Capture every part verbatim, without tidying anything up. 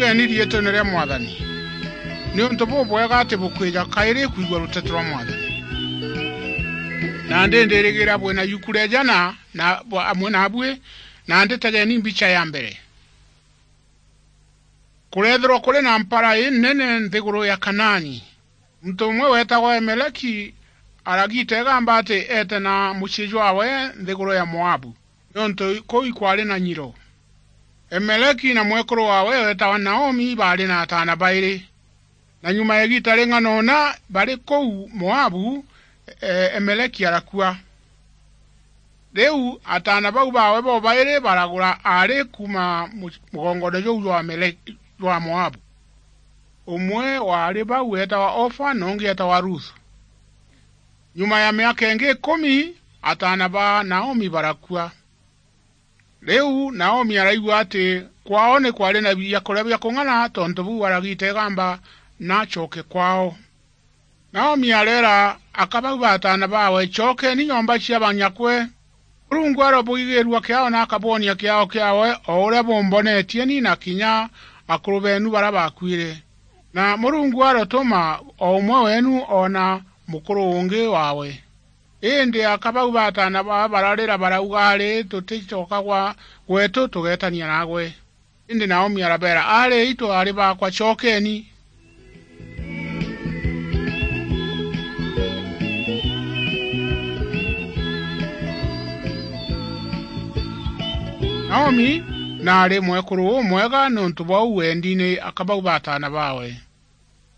Tueni riitwene ria Mwathani, niuntu bubwega ati bukwija kairi kwigua ruteto rwa Mwathani. Nandi ndirigira bwina yuku ria jana na, amwe naabui, nandi tegeni mbicha ya mbere. Kureethirwa kuri na mpara inene nthiguru ya Kanaani. Muntu umwe weetagwa Emeleki aragiita igamba ati eete na mucii jwaawe nthiguru ya Moabu, niuntu kuu ikwari na nyiro. Emeleki na mwekuru waawe weetagwa Naomi baari na ataana bairi. Na nyuma ya igiita ring'ana una bari kuu Moabu, e, Emeleki arakua. Riu ataana bau baawe bobairi baragura aari kuuma mu-, mugongone juu jwa Amele-, jwa Moabu. Umwe wa aari bau eetagwa Ofa, na ungi eetagwa Ruthu. Nyuma ya miaka ingi ikumi, ataana ba Naomi barakua. Riu Naomi araigua ati kwaao ni kwari na biakuria bia kung'ana, tontu buu aragiita igamba na acoke kwaao. Naomi areera aka bau ba ataana baawe, "Cokeeni nyomba cia banyakwe. Murungu arobugigiirua kiaao na akabwonia kiaao kiaawe, o uria bumbonetie ni na kinya akuru beenu baria baakuire. Na Murungu arotuma o umwe weenu oona mukuru ungi waawe." Indi aka bau ba ataana baawe bararira, barauga, "Ari, tuticoka gwa gweetu tugeetania naagwe." Indi Naomi arabeera, "Ari aitu, aari baakwa, cokeeni." Naomi naari mwekuru umwega, niuntu bwa uu wendi ni aka bau ba ataana baawe.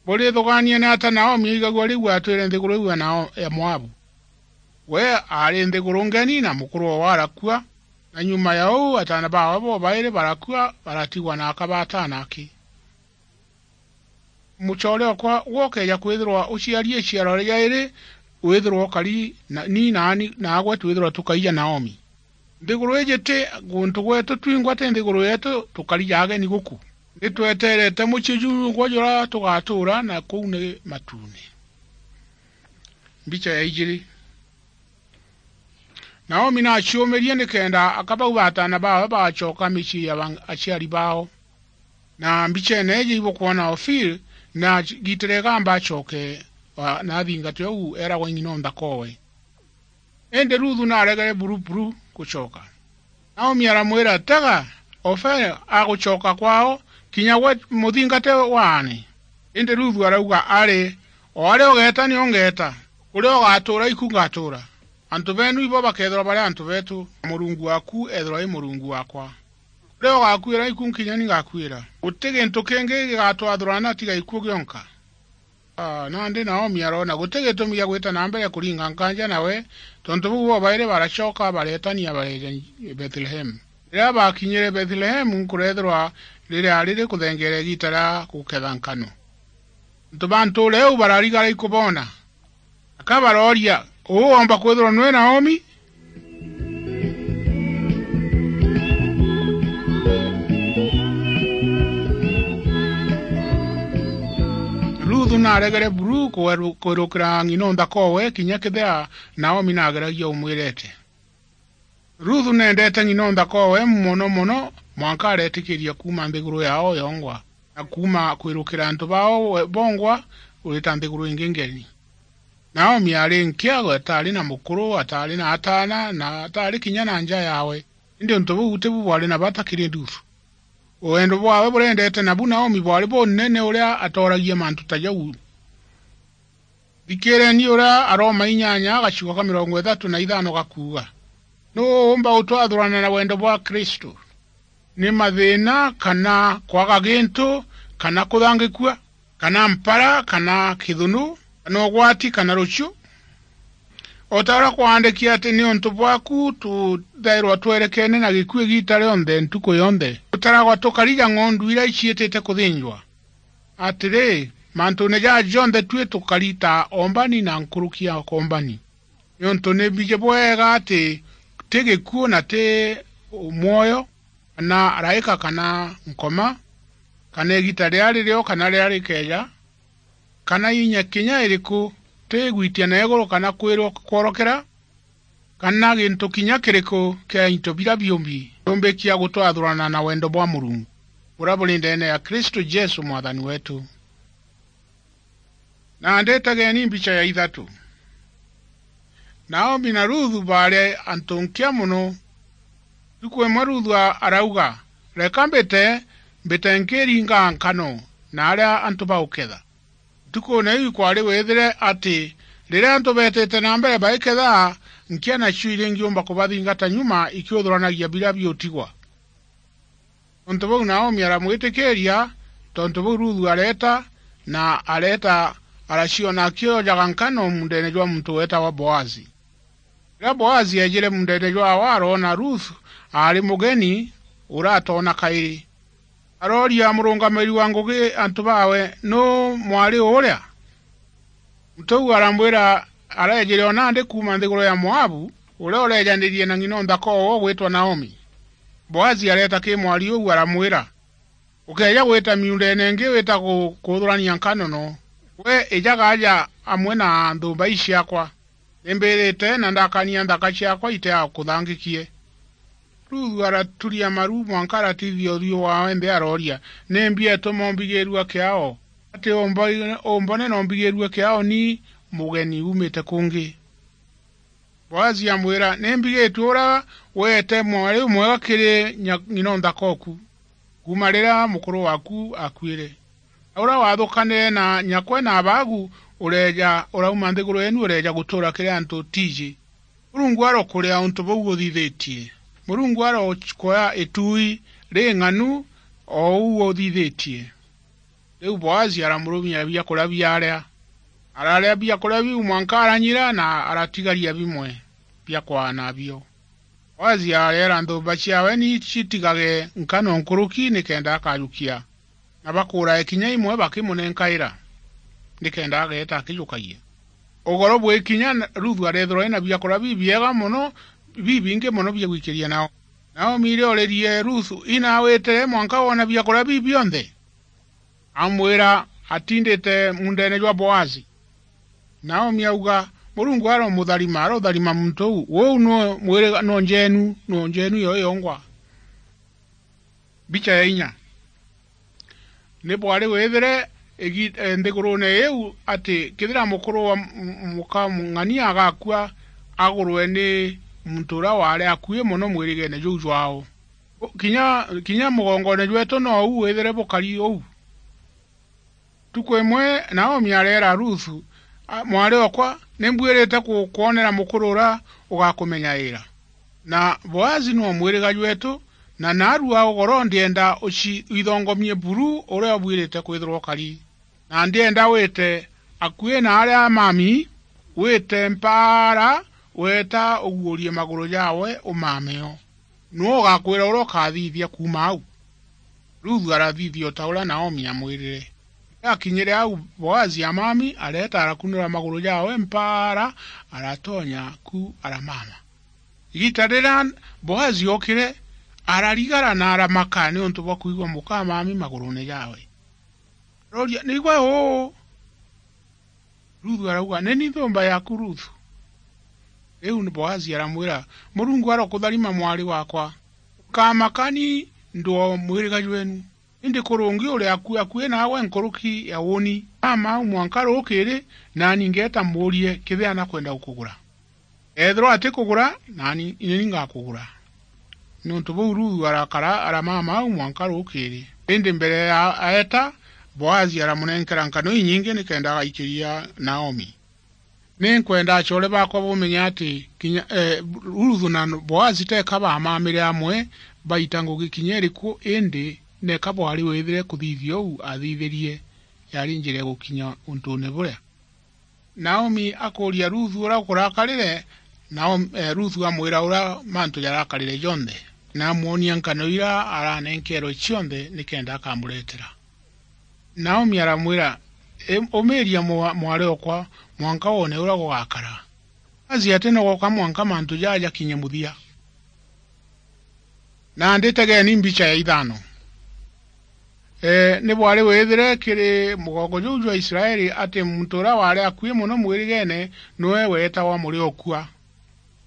Burithugaania ni ata Naomi aigagua riu atwire nthiguru iu ya Nao-, ya Moabu? We aari nthiguru ngeni na mukuru waawe arakua, na nyuma ya uu ataana baawe bobairi barakua, baratigwa na aka ba ataana aki. Mucoore okwa, gwe ukeeja kwithirwa uciari iciaro ria iri, withirwa ukari na, ni naani naagwe twithirwa tukaija Naomi. Nthiguru iji ti guntu gweetu twingwa, ti nthiguru yeetu, tukari ja ageni guku. Ni tweteerete mucii jungwa juria tugatuura, na kuu ni matuune. Mbicha ya ijiri. Naomi naaciumirie nikenda aka bau ba ataana baawe bagacoka micii ya ba-, aciari baao. Na mbicheene iji ibukwona Ofiri naagiitire igamba acoke, a, na athingate uu eeragwa ng'ina o nthakoowe. Indi Ruthu naaregere buru buru gucoka. Naomi aramwira, "Tega, Ofiri agucoka kwaao, kinya gwe muthingate waane." Indi Ruthu arauga, "Ari, o aria ugeeta nio ngeeta, kuria ugatuura iku ngatuura. Antu beenu ibo bakeethirwa bari antu beetu, na Murungu waaku eethirwa ari Murungu waakwa. Kuria ugakuira iku nkinya ni ngakuira. Guti gintu kingi gigatwathurana tiga ikuu gionka." Aa, nandi Naomi aroona guti gitumi gia gwita na mbere kuringa nkanja nawe, tontu buu bobairi baracoka bareetania bareeja Bethlehemu. Riria baakinyire Bethlehemu, kureethirwa riria riri kuthengeera igiita ria guketha nkano. Antu ba ntuura iu bararigara ikuboona. Aka barooria, "Uu oomba kwithirwa nwe Naomi?" Ruthu naaregere buru kweru-, kwirukira ng'ina o nthakoowe, kinya kethira Naomi naageragia umwirete. Ruthu neendete ng'ina o nthakoowe mono mono, mwanka areetikiria kuuma nthiguru yaao yongwa, na kuuma kwirukira antu baao we-, bongwa, urita nthiguru ingi ngeni. Naomi aari nkiago, ataari na mukuru, ataari na ataana, na ataari kinya na nja yaawe. Indi untu buu tibu bwari na bata kiri Ruthu. Wendo bwaawe burendete nabu Naomi bwari bunene uria atooragia mantu ta jau. Thikiireni uria Aroma inyanya gacigo ka mirongo ithatu na ithano gakuuga, "Nuu uumba gutwathurana na wendo bwa Kristu? Ni mathiina, kana kwaga gintu, kana kuthangikua, kana mpara, kana kithunu, kana ugwati, kana ruciu?" O ta uria kwaandiki ati, "Niuntu bwaaku tuthairwa twerekeene na gikuu igiita rionthe, ntuku yonthe. Tutaragwa tukari ja ng'ondu iria iciitite kuthinjwa." Atiri, mantuune jaa jonthe tui tukari ta oombani na nkuruki ya koombani. Niuntu ni mbiji bwega ati ti gikuu na ti mwoyo, kana araika kana nkoma, kana igiita riria ririo kana riria rikeeja, kana inya kinya iriku, ti igwitia na iguru kana kwirwa kworokera, kana gintu kinya kiriku kia into biria biumbi, kiumbikia gutwathurana na wendo bwa Murungu. buria buri ndeene ya Kristu Jesu Mwathani weetu. Na nditageeni mbicha ya ithatu. Naomi na Ruthu baari antu nkia mono. Ntuku imwe Ruthu a-, arauga, "Reka mbite, mbite nkiringa nkano na aria antu bauketha." Ntukuune iu ikwari withire ati riria antu beetite na mbere baiketha, nkia nacio iringiumba kubathingata nyuma ikiuthuranagia biria biutigwa. Tontu buu Naomi aramwitikiiria, tontu buu Ruthu areeta, na areeta araciona akiojaga nkano muundeene jwa muntu weetagwa Boazi. Riria Boazi eejire muundeene jwaawe aroona Ruthu aari mugeni uratoona kairi. Arooria murungamiiri wa ngugi antu baawe, "Nuu mwari uria?" Muntu uu aramwira, "Areejire o nandi kuuma nthiguru ya Moabu, uria ureejanirie na ng'ina o nthaka owe ugwitwa Naomi." Boazi areeta kiri mwari uu aramwira, "Ukeeja gwita miundeene ingi wita ku-, kuthurania nkano noo. Gwe ijaga aja amwe na nthumba ii ciaakwa. Ni mbirite na ndakania nthaka ciaakwa itiakuthangikie." Ruthu araturia maru mwanka aratithia uthiu waawe nthi arooria, "Nimbi ituma umbigiirua kiao? Ati umbo-, umbone na umbigiirue kiao ni mugeni uumite kungi?" Boazi amwira, "Ni mbigitue uria weete mwari umwega kiri nya-, ng'ina o nthaka oku, kuuma riria mukuru waaku aakuire. Na uria wathukanire na nyakwe na abaagu, ureeja, urauma nthiguru yeenu ureeja gutuura kiri antu utiiji. Murungu arokuria untu buu uthithitie. Murungu arokuoya ituui ring'anu o uu uthithitie." Riu Boazi aramurumia biakuria biaria. Araria biakuria biu mwanka aranyira na aratigaria bimwe bia kwaana nabio. Boazi areera nthumba ciaawe ni citigage nkano nkuruki nikenda akajukia, na bakuurae kinya imwe bakimunenkaira, nikenda ageeta akijukagia. Ugoro bwi kinya, Ruthu areethirwa ena biakuria bibiega mono, bibingi mono bia gwikiria nao. Naomi riria oririe Ruthu, "Ina witire mwanka woona biakuria bibi bionthe?" Amwira, "Atindite muundeene jwa Boazi." Naomi auga, "Murungu aromutharima, arotharima muntu uu. Uu nuu mwiriga, nuu njeenu, nuu njeenu yo yongwa." Mbicha ya inya. Ni bwari withire igi-, e, nthiguruune iu ati kethira mukuru wa m-, m-, muka ng'ania agakua, agurwe ni muntu uria waari akui mono mwirigeene juu jwaao. Kinya, kinya mugongoone jweetu nou withire bukari uu. Ntuku imwe Naomi areera Ruthu, "A, mwari okwa, ni mbuirite ku-, kwonera mukuru uria ugakumenyaira. Na Boazi nuu mwiriga jweetu, na naarua ugoro ndienda uci-, withongomie buru uria ubuirite kwithirwa ukari. Na ndienda wite akui na aria mami, wite mpaara, weeta uguurie maguru jaawe umame o. Nuu ugakwira uria ukathithia kuuma au?" Ruthu arathithia o ta uria Naomi aamwirire. Riria akinyire au, Boazi amami areeta arakunura maguru jaawe mpaara, aratonya ku aramama. Igiita riria Boazi ookire, ararigara na aramaka niuntu bwa kwigua muka amami maguruune jaawe. Arooria, "Nigwe uu?" Ruthu arauga, "Ni ni nthumba yaaku Ruthu." Riu Boazi aramwira, "Murungu arokutharima mwari waakwa. Ukamaka ni ndwaa mwiriga jweenu. Indi kurungi uri akui akui naawe nkuruki ya uuni. Mama au mwanka ruukiri, naani ngeeta mbuurie kethira nakwenda gukugura. Eethirwa atikugura, naani ni ni ngakugura." Niuntu buu Ruthu arakara aramama au mwanka ruukiri. Indi mbere ya aeta, Boazi aramunenkera nkano inyingi nikenda agaikiria Naomi. Ni nkwenda acoore baakwa bumenye ati kinya, e, Ruthu na Boazi teeka baamamire amwe baita ngugi kinya iriku, indi neeka bwari withire kuthithia uu aathithirie yaari njira ya gukinya untuune buria. Naomi akuuria Ruthu uria kurakarire, Naomi, e, Ruthu amwira uria mantu jarakarire jonthe, na amwonia nkano iria aranenkerwe cionthe nikenda akamuretera. Naomi aramwira, "I-, umiiria mwa-, mwari okwa, mwanka wone uria gugakara. Azi ati nogoka mwanka mantu jaa jakinye muthia." Na nditegeeni mbicha ya ithano. E, ni bwari withire kiri mugongo juu jwa Israeli ati muntu uria waari akui mono mwirigeene niwe weetagwa muri okua.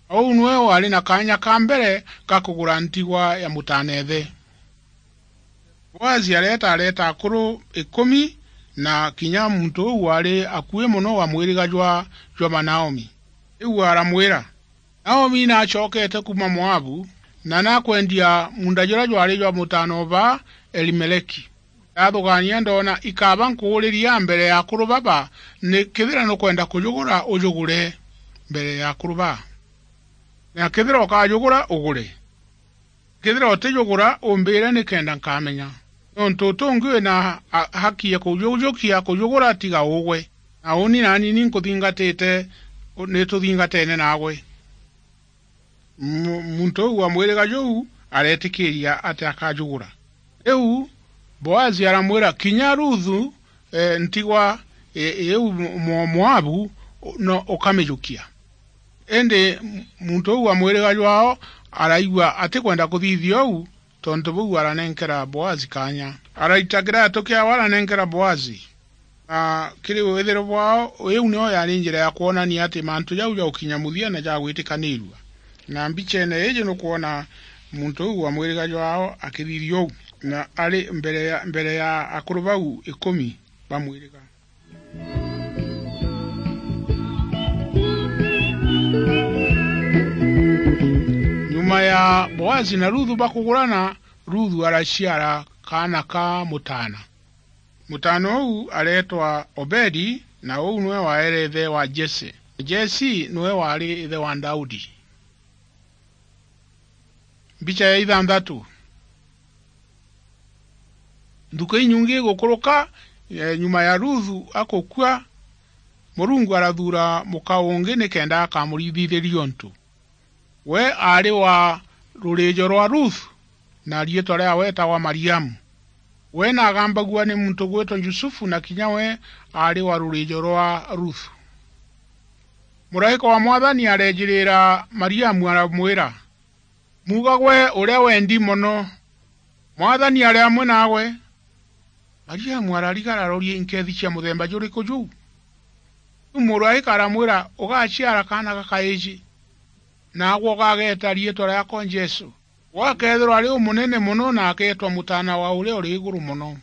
Uu niwe waari na kaanya ka mbere ga kugura ntigwa ya mutaneethe. Boazi areeta, areeta akuru ikumi, na kinya muntu uu waari akui mono wa mwiriga jwa, jwa ba Naomi. Riu aramwira, "Naomi naacokete kuuma Moabu, na nakwendia muunda juria jwaari jwa mutaana o ba Elimeleki. Ndathugania ndoona ikaba nkuuriria mbere ya akuru baba, ni kethira nukwenda kujugura, ujugure mbere ya akuru baa. Na kethira ukajugura, ugure. Kethira utijugura, umbire nikenda nkamenya. Nontu uti ungi wina a-, haki ya kujujukia kujugura tiga ugwe. Na uuni naani ni nkuthingatite, nituthingatene naagwe." Mu-, muntu uu wa mwiriga juu areetikiiria ati akajugura. Riu Boazi aramwira, "Kinya Ruthu, eh, ntigwa, eh, iu Mo-, Moabu, no ukamijukia." Indi muntu uu wa mwiriga jwao araigua atikwenda kuthithia uu, tontu buu aranenkera Boazi kaanya. Araita kiraatu kiawe aranenkera Boazi. Na kiri withiro bwao, iu nio yaari njira ya kwonania ati mantu jau ja gukinya muthia na ja gwitikaniirua. Na mbicheene iiji nukwona muntu uu wa mwiriga jwao akithithia uu, na ari mbere ya, mbere ya akuru bau ikumi ba mwiriga. Nyuma ya Boazi na Ruthu bakugurana, Ruthu araciara kaana ka mutaana. Mutaana uu areetwa Obedi, na uu niwe waere ithe wa Jese. Jese niwe waari ithe wa Daudi. Mbicha ya ithanthatu. Nthuku inyingi igukuruka, eh, nyuma ya Ruthu akukua, Murungu arathuura muka ungi nikenda akamurithithiria untu. We aari wa ruriijo rwa Ruthu, na riitwa riawe eetagwa Mariamu. We naagambagua ni muntu ugwitwa Jusufu, na kinya we aari wa ruriijo rwa Ruthu. Muraika wa Mwathani areejiriira Mariamu aramwira, "Muuga gwe uria wendi mono, Mwathani ari amwe naagwe." Mariamu ararigara aroria inkeethi cia muthemba juriku juu. Riu muraika aramwira, "Ugaciara kaana gakaiji, naagwe ugageeta riitwa riaakwa Jesu. Gwe akeethirwa ari umunene mono na akeetwa Mutaana wa Uria Uri Iguru Mono.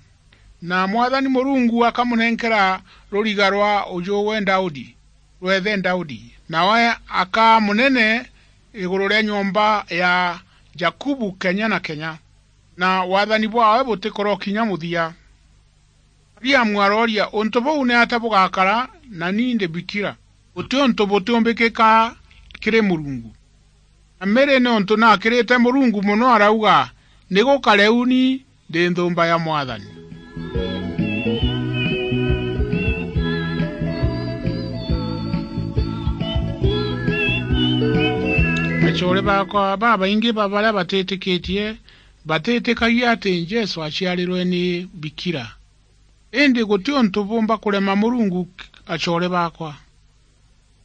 Na Mwathani Murungu akamunenkera ruriga rwa ujuwe Daudi, rwa ithe Daudi, nawe akaa munene iguru ria nyomba ya Jakubu kenya na kenya, na wathani bwaawe butikurokinya muthia." Mariamu arooria, "Untu buu niatia bugakara, na ni ndi bikira? Guti untu butiumbikika kiri Murungu." Na Mary, niuntu naakirite Murungu mono, arauga, "Ni gukare uuni ndi nthumba ya Mwathani." Acoore baakwa, babaingi ba baria batitikitie batitikagia ati Jesu aciarirwe ni bikira. Indi guti untu buumba kurema Murungu, acoore baakwa.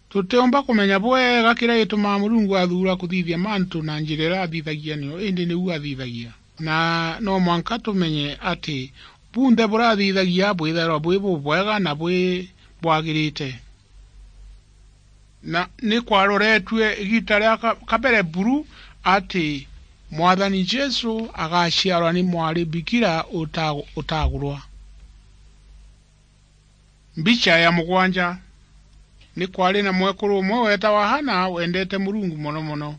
Tutiumba kumenya bwega kiria gitumaa Murungu athuura kuthithia mantu na njira iria athithagia nio, indi niu athithagia. Na no mwanka tumenye ati bunthe burathithagia bwithairwa bwi bubwega na bwi bwagirite. Na ni kwaroretue igiita ria ka-, kabere buru ati Mwathani Jesu agaciarwa ni mwari bikira uta-, utagurwa. Mbicha ya mugwanja. Ni kwaari na mwekuru umwe weetawa Hana, wendete Murungu mono mono.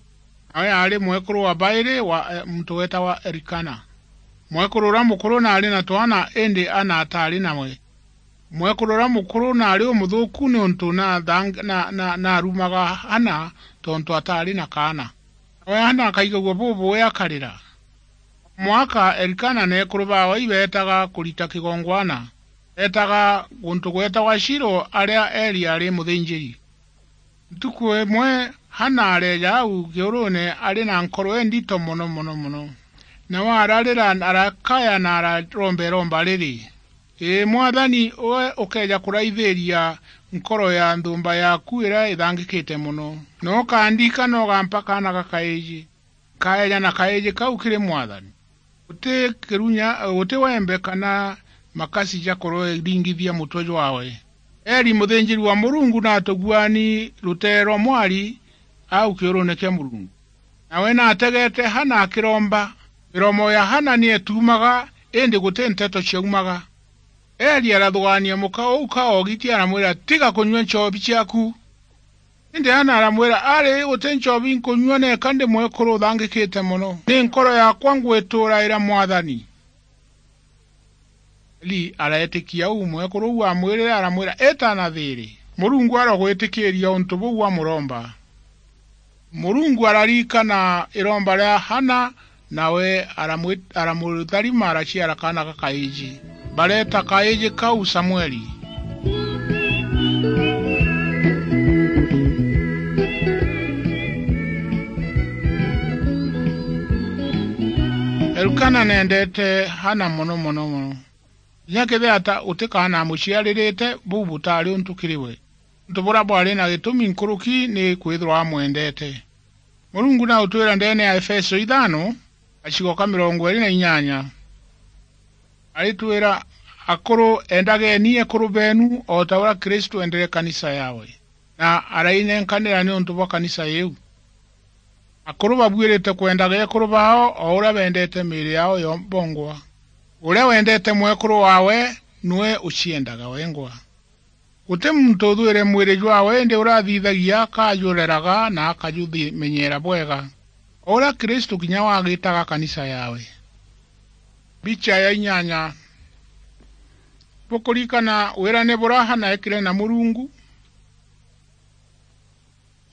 Nawe aari mwekuru wa bairi wa, eh, muntu weetawa Elikana. Mwekuru uria mukuru naari na twana, indi Hana ataari nawe. Mwekuru uria mukuru naari umuthuuku niuntu naathang-, na, na, naarumaga Hana tontu ataari na kaana. Nawe Hana akaigagua bubuui akarira. Mwaka Elikana na ekuru baawe ibeetaga kurita kigongwana, beetaga guntu gweetagwa Shilo, aria Eli aari muthinjiri. Ntuku imwe Hana areeja au kiuruune ari na nkoro indito mono, mono, mono. Nawe ararira, arakaya na araromba iromba riri, "Ii Mwathani, we ukeeja kuraithiria nkoro ya nthumba yaaku iria ithangikite mono, na ukandiika na ugampa kaana gakaiji." Nkaeja na kaiji kau kiri Mwathani. Guti kirunya, guti wembe kana makasi ja kuringithia mutwe jwaawe. Eli muthinjiri wa Murungu naatuguani rutee rwa mwari au kiuruune kia Murungu. Nawe naategete Hana akiromba. Miromo ya Hana ni etumaga indi guti nteto ciaumaga. Eli arathugaania muka uu ka oogiti, aramwira, "Tiga kunyua nchobi ciaku." Indi Hana aramwira, "Ari, guti nchobi nkunyua, neka ndi mwekuru uthangikite mono. Ni nkoro yakwa ngwituraira Mwathani." Eli areetikia uu mwekuru uu amwirire, aramwira, "Ita na thiiri." Murungu arogwitikiria untu buu wamuromba. Murungu araririkana iromba ria Hana, nawe aramwi-, aramutharima, araciara kaana gakaiji. Bareeta kaiji kau Samueli. Elkana neendete Hana mono, mono, mono. Kinya kethira ata uti kaana amuciaririte, buu butaari untu kiri we. Untu buria bwari na gitumi nkuruki ni kwithirwa amwendete. Murungu nautwira ndeene ya Efeso ithano, gacigo ka mirongo iiri na inyanya, aritwira, "Akuru, endageni ekuru beenu o ta uria Kristu eendere kanisa yawe, na arainenkanira niuntu bwa kanisa iu." Akuru babuirite kwendaga ekuru baao o uria bendete miiri yao yo bongwa. Uria wendete mwekuru waawe, niwe uciendaga wengwa. Guti muntu uthwire mwiri jwaawe, indi uria athithagia akajureraga na akajumenyeera bwega, o uria Kristu kinya wagitaga kanisa yaawe. Mbicha ya inyanya. Bukuririkana wirane buria Hana eekire na Murungu?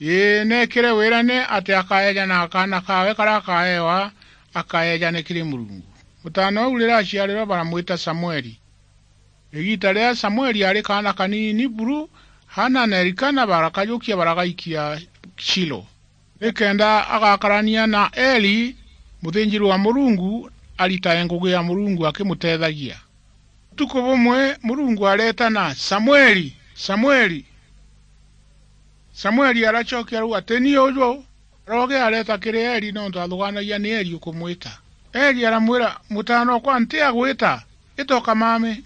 Ii, neekire wirane ati akaeejana kaana kaawe karia akaeewa, akaeejane kiri Murungu. Mutaana uu riria aciarirwe, baramwita Samueli. Igiita riria Samueli aari kaana kaniini buru, Hana na Elikana barakajukia, baragaikia Shilo, nikenda agakarania na Eli, muthinjiri wa Murungu, aritae ngugi ya Murungu akimuteethagia. Utuku bumwe Murungu areetana, "Samueli! Samueli!" Samueli aracokia arauga, "Ti ni uju." Aroge areeta kiri Eli, nontu athugaanagia ni Eli ukumwita. Eli aramwira, "Mutaana okwa, nti agwita, ita ukamame."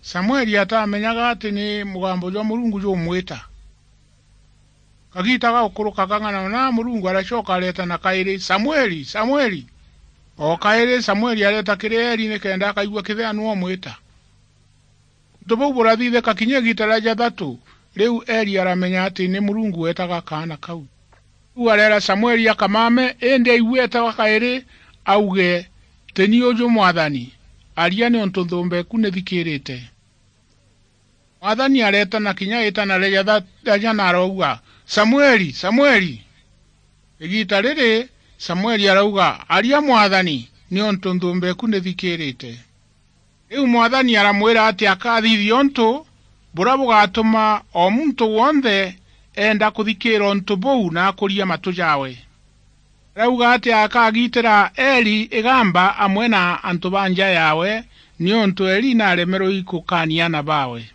Samueli atamenyaga ati ni mugambo jwa Murungu jumwita. Kagiita ga gukuruka kang'ana una, Murungu aracoka areetana kairi, "Samueli! Samueli!" O kairi Samueli areeta kiri Eli nikenda akaigua kethira nu umwita. Untu buu burathithika kinya igiita ria jathatu, riu Eli aramenya ati ni Murungu weetaga kaana kau. Riu areera Samueli akamame, indi aigua eetagwa kairi, auge, "Ti ni uju, Mwathani, aria, niuntu nthumba eku nithikirite." Mwathani areetana kinya iitana ria jatha-, ria jana, arauga, "Samueli! Samueli!" Igiita riri, Samueli arauga, "Aria, Mwathani, niuntu nthumba eku nithikirite." Riu Mwathani aramwira ati akathithia untu buria bugatuma o muntu wonthe eenda kuthikiira untu buu na akuria matu jaawe. Arauga ati akagitira Eli igamba amwe na antu ba nja yaawe, niuntu Eli naremerwe i kukaania aana baawe.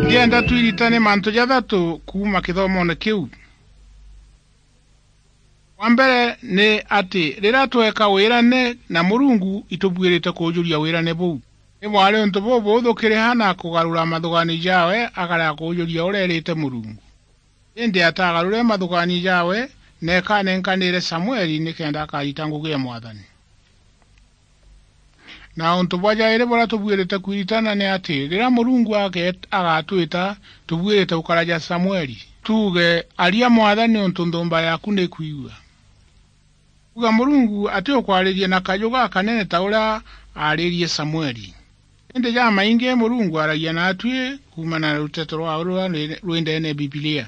Ndienda twiritane mantu jathatu kuuma kithomoone kiu. Wa mbere ni ati, riria tweeka wirane na Murungu, itubuirite kuujuria wirane buu. Ni bwari untu bubuuthu kiri Hana kugarura mathugaanio jaawe, akarega kuujuria uria eerite Murungu. Indi atagarure mathugaanio jaawe, na ekanenkanire Samueli nikenda akarita ngugi ya Mwathani. Na untu bwa jairi buria tubuirite kwiritana ni ati, riria Murungu ageet-, agatwita, tubuirite gukara ja Samueli, tuuge, "Aria, Mwathani, niuntu nthumba yaaku nikwigua." Kuuga Murungu atiukwariria na kaju gakanene ta uria aaririe Samueli. Indi jamaingi Murungu aaragia naatui kuumana na ruteto rwaawe ruria rwi, rwi ndeene Bibilia.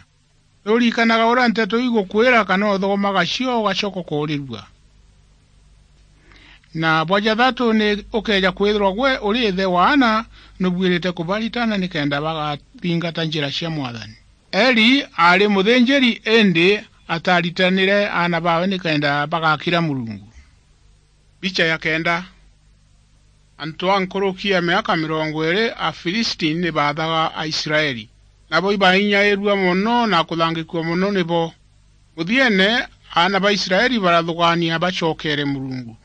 Ni uririkanaga uria nteto igukwira kana uthomaga cio ugacoka ukoorirua? Na bwa jathatu, ni ukeeja kwithirwa gwe uri ithe wa aana, nubuirite kubaritana nikenda bagathingata njira cia Mwathani. Eli aari muthinjiri, indi ataaritanire aana baawe nikenda bagakira Murungu. Mbicha ya kenda. Antu a nkuruki ya miaka mirongo iiri a Filisti ni baathaga Aisraeli, nabo ibainyairua mono na kuthangikua mono nibo. Muthiene, aana ba Israeli barathugaania bacokeere Murungu.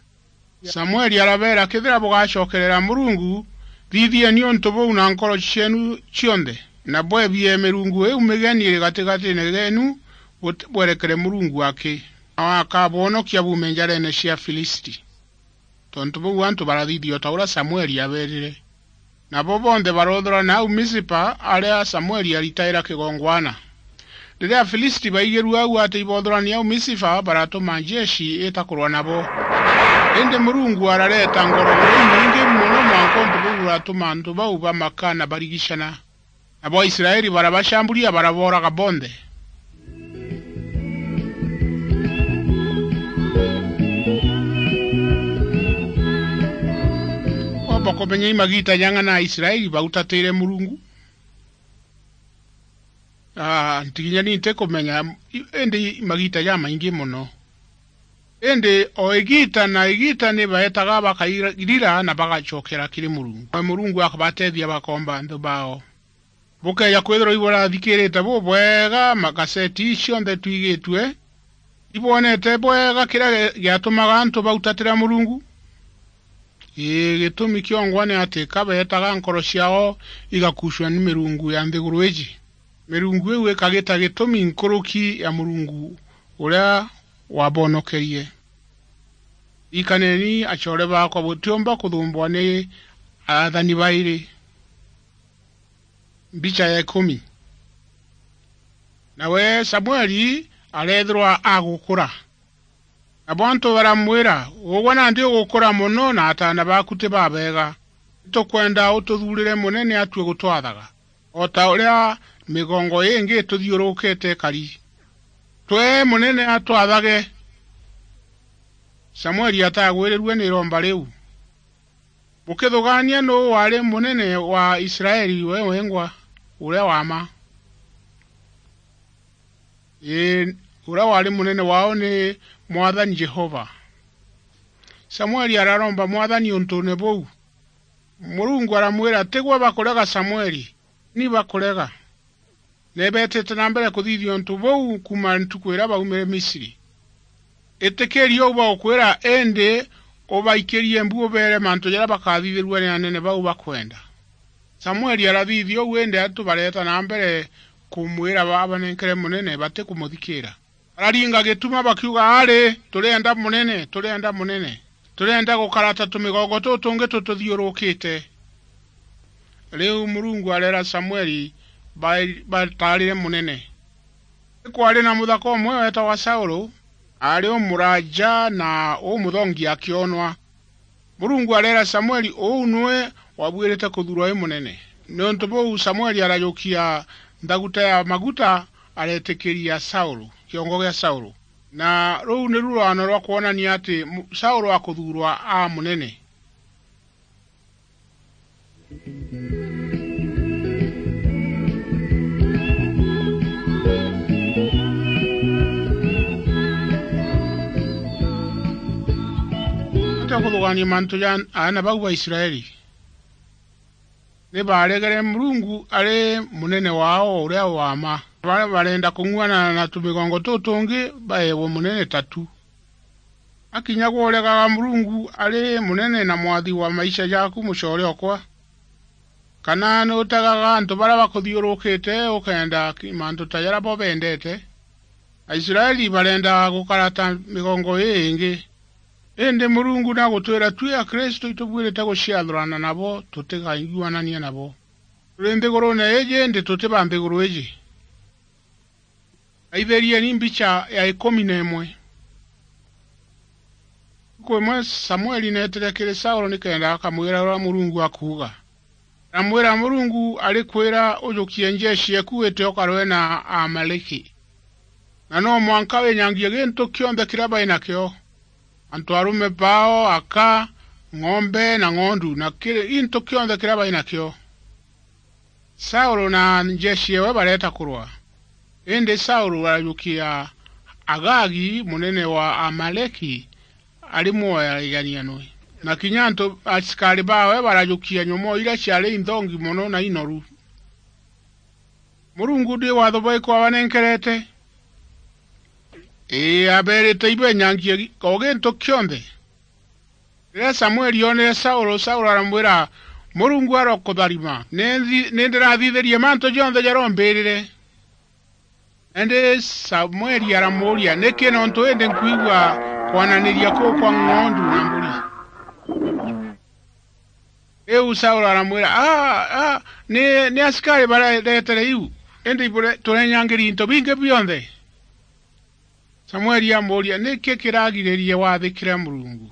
Samueli arabeera, "Kethira bugacokerera Murungu, thithieni untu buu na nkoro cieenu cionthe." na bwebie mirungu iu migeni iri gatigatiine geenu, bwerekere Murungu aki, nawe akabwonokia buume njareene cia Afilisti. Tontu buu antu barathithia o ta uria Samueli aabeerire. Nabo bonthe baroothurana au Misipa, aria Samueli aritaira kigongwana. Riria Afilisti baigirue au ati iboothurania au Misipa, baratuma njeshi ita kurwa nabo. Indi Murungu arareeta ngorogoro inyingi mono mwanka untu buu buratuma antu bau bamaka na barigicana. Nabo Aisraeli barabacamburia, barabooraga bonthe. Womba kumenya i magiita jang'ana Aisraeli bautatiire Murungu? Ah, ntiginya ni ntikumenya, i-, indi i magiita jamaingi mono. Indi o igiita na igiita ni baetaga bakairira na bagacokera kiri Murungu. Nawe Murungu akabateethia bakoomba anthu bao. Bukeeja kwithirwa iburathikiirite bubwega magaseti ii cionthe twigitue, ibwonete bwega kiria gi-, giatumaga antu bautatira Murungu? Ii, gitumi kiongwa ni ati ka beetaga nkoro ciao igakuucua ni mirungu ya nthiguru iji, mirungu iu ikagita gitumi nkuruki ya Murungu uria wabonokerie. Rikaneni, acoore baakwa, butiumba kuthumbwa ni aathani bairi. Mbicha ya ikumi. Nawe Samueli areethirwa agukura. Nabo antu baramwira, "Ugwe nandi ugukura mono, na ataana baaku ti babeega. Itukwenda ututhuurire munene atue gutwathaga, o ta uria migongo ingi ituthiurukite ikari. Twee munene atwathage." Samueli atagwirirue ni iromba riu. Bukithugaania nuu waari munene wa Israeli we wengwa, uria wa mma? Ii, uria waari munene wao ni Mwathani Jehova. Samueli araromba Mwathani untune buu. Murungu aramwira, "Tigwe bakurega, Samueli, ni bakurega." Ni beetite na mbere kuthithia untu buu kuuma ntuku iria baumire Misri. Itikiria uu bagukwira, indi ubaikirie mbu ubeere mantu jaria bakathithirua ni anene bau bakwenda. Samueli arathithia uu, indi antu bareeta na mbere kumwira babanenkere munene, batikumuthikiira. Bararinga gituma bakiuga, "Ari, turienda munene, turienda munene. Turienda gukara ta tumigongo tutungi tututhiurukite." Riu Murungu areera Samueli ba-, bataarire munene. Ni kwaari na muthaka umwe weetagwa Saulu, aari umuraaja na umuthongi akionwa. Murungu areera Samueli, "Uu niwe wabuirite kuthuurwa wi munene." Niuntu buu Samueli arajukia nthaguta ya maguta, areetikiria Saulu, kiongo gia Saulu. Na ruu niru rwano rwa kwonania ati mu-, Saulu akuthuurwa aa munene. Atia kuthugania mantu ja aana bau ba Israeli? Ni baaregere Murungu ari munene wao uria wa mma. Baria barenda kung'uanana na tumigongo tutungi baewe munene tatu. Akinya gwe uregaga Murungu ari munene na mwathi wa maisha jaku, mucoore okwa? Kana ni utegaga antu baria bakuthiurukite ukenda ki-, mantu ta jaria bo bendete? Aisraeli barendaga gukara ta migongo ii ingi. Indi Murungu nagutwira tui Akristu itubuirite guciathurana nabo, tutigaiguanania nabo. Turi nthiguruune iji, indi tuti ba nthiguru iji. Raithirieni mbicha ya ikumi na imwe. Ntuku imwe Samueli neetire kiri Saulu nikenda akamwira uria Murungu akuuga. Aramwira, "Murungu arikwira ujukie njeshi eku wite ukarwe na Aamaleki. Na no mwanka winyangie gintu kionthe kiria bai nakio, antu arume bao, aka, ng'ombe na ng'ondu, na kiri, gintu kionthe kiria bai nakio." Saulu na njeshi ewe bareeta kurwa. Indi Saulu arajukia Agagi, munene wa Aamaleki, ari mwoya iganianwe. Na kinya antu asikari baawe barajukia nyomoo iria ciari inthongi mono na inoru. Murungu ndi watho bwaiku abanenkerete? Ii, abeerite ibenyangie o gintu kionthe. Riria Samueli oonere Saulu, Saulu aramwira, Murungu arokutharima. Ni nthi-, ni ndirathithirie mantu jonthe jarombirire." Indi Samueli aramuuria, "Niki nontu indi nkwigua kwananiria kuu kwa ng'ondu na mburi?" Riu Saulu aramwira, "Aa, aa, ni, ni asikari bareetere iu, indi ibure-, turenyangiri into bingi bionthe." Samueli amuuria, "Niki kiragiririe wathikire Murungu?"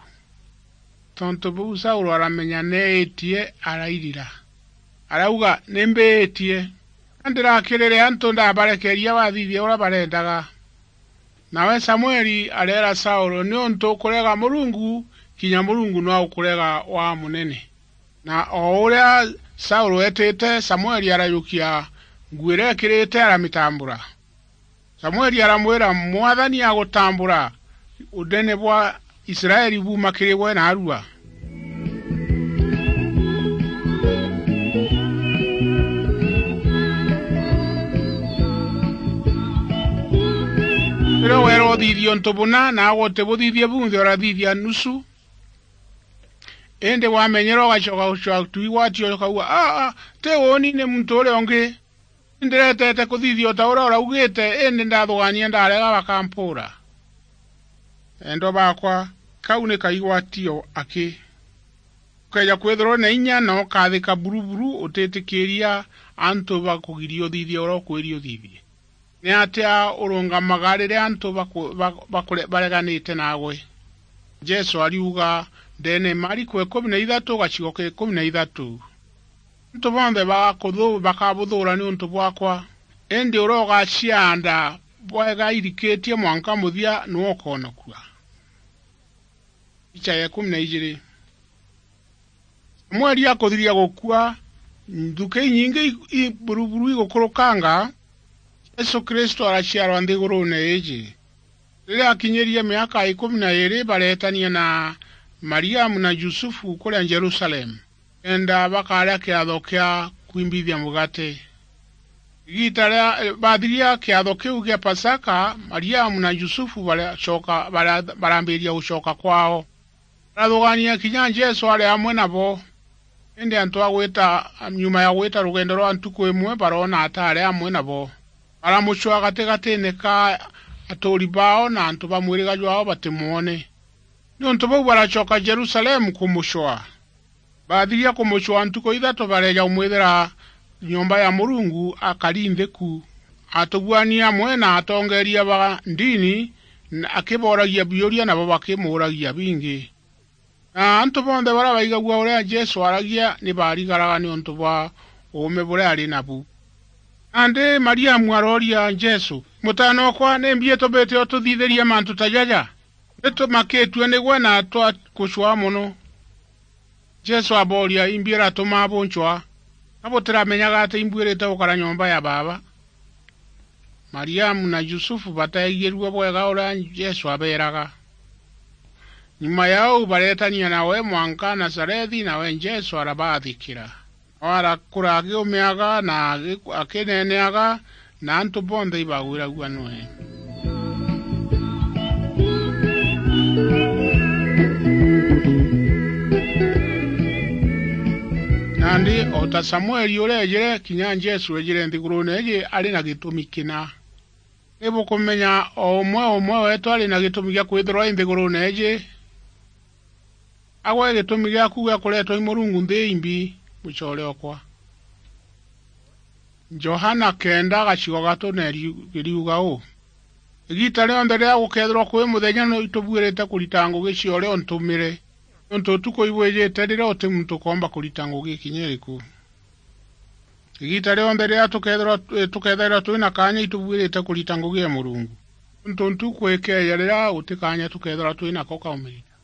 Tontu buu Saulu aramenya neetie, arairira. Arauga, "Ni mbiitie. Ndirakirire antu ndabarekeria bathithie uria barendaga." Nawe Samueli areera Saulu, "Niuntu ukurega Murungu, kinya Murungu no ukurega wa munene." Na o uria Saulu eetite, Samueli arajukia nguo iria ekirite, aramitambura. Samueli aramwira, "Mwathani agutambura, unene bwa Israeli buuma kiri gwe naarua." Riria weera uthithie untu buna, naagwe utibuthithie bunthe, urathithia nusu. Indi wamenyera ugacoka gucoka tu igwatio ukauga, "Aa, aa, ti uuni, ni muntu uria ungi. Ndiretete kuthithia o ta uria uraugite, indi ndathugania ndarega bakampuura." Endwa bakwa, kau ni kaigwatio aki. Ukeeja kwithirwa na inya na ukathika buruburu, utitikiria antu bakugiria uthithie uria ukwiria uthithie. Ni atia urungamaga riria antu baku-, ba-, bakure-, bareganite naagwe? Jesu ariuga ndeene Mariko ikumi na ithatu gacigo ka ikumi na ithatu, "Antu bonthe bagakuthu-, bakabuthuura niuntu bwaakwa, indi uria ugaciaanda bwega irikitie mwanka muthia niwe ukoonokua." Picha ya ikumi na ijiri. Samueli akuthiria gukua, nthuki inyingi i, i buruburu igukurukanga, Jesu Kristo araciarwa nthiguruune iiji. Riria akinyirie miaka ikumi na iiri, bareetania na Mariamu na Jusufu kuria Jerusalemu, kenda bakaria kiatho kia kwimbithia mugate. Igiita ria, bathiria kiatho kiu gia Pasaka, Mariamu na Jusufu baracoka, bara-, barambiria gucoka kwao. Barathugania kinya Jesu ari amwe nabo. Indi antu a gwita, nyuma ya gwita rugendo rwa ntuku imwe, baroona ataari amwe nabo. Baramucwaa gatigatiine ka atuuri baao na antu ba mwiriga jwaao batimwone. Niuntu buu baracoka Jerusalemu kumucwaa. Baathiria kumucwaa ntuku ithatu, bareeja kumwithira nyomba ya Murungu akari nthi ku, atuguania amwe na atongeeria ba ndini, na akibooragia biuria, nabo bakimuuragia bingi. Na antu bonthe baria baigagua uria Jesu aaragia ni baarigaraga niuntu bwa uume buria ari nabu. Nandi Mariamu arooria Jesu, "Mutaana okwa, nimbi itumite ututhithirie mantu ta jaja? Ni tumakitue nigwe na twakucwaa mono." Jesu abooria, "Imbi iratuma buncwaa? Ka butiramenyaga ati imbuirite gukara nyomba ya Baaba?" Mariamu na Jusufu bateegirue bwega uria Jesu abeeraga. Nyuma ya uu, bareetania nawe mwanka Nazarethi, nawe Jesu arabaathikira. Nawe arakura akiumiaga na agi-, akineeneaga, na antu bonthe ibagwiragua nwe. Nandi o ta Samueli uria eejire, kinya Jesu eejire nthiguruune iiji ari na gitumi kina. Ni bukumenya o umwe umwe weetu ari na gitumi gia kwithirwa i nthiguruune iiji? Agwe gitumi giaku gia kureetwa i Murungu nthi imbi, mucoore okwa? Johana kenda gacigo gatu na iriu-, iriuga uu, "Igiita rionthe riria gukeethirwa kwi muthenya, no itubuirite kurita ngugi cia uria untumire, niuntu utuku ibwijite riria uti muntu ukoomba kurita ngugi kinya iriku." Igiita rionthe riria tukeethirwa, eh, tukeethairwa twi na kaanya, itubuirite kurita ngugi ya Murungu. Niuntu ntuku ikeeja riria guti kaanya tukeethirwa twi nako kaumirite.